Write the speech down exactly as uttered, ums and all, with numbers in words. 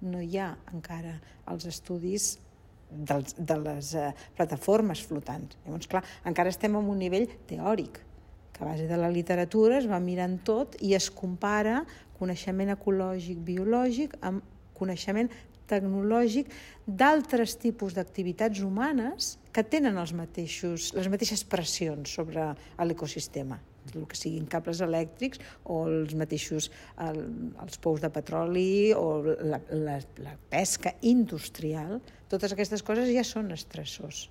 no hi ha encara els estudis dels, de les eh, plataformes flotants. Llavors, clar, encara estem en un nivell teòric, que a base de la literatura es va mirant tot i es compara coneixement ecològic, biològic, amb coneixement tecnològic d'altres tipus d'activitats humanes que tenen els mateixos, les mateixes pressions sobre l'ecosistema, el que siguin cables elèctrics o els mateixos el, els pous de petroli o la, la, la pesca industrial. Totes aquestes coses ja són estressors.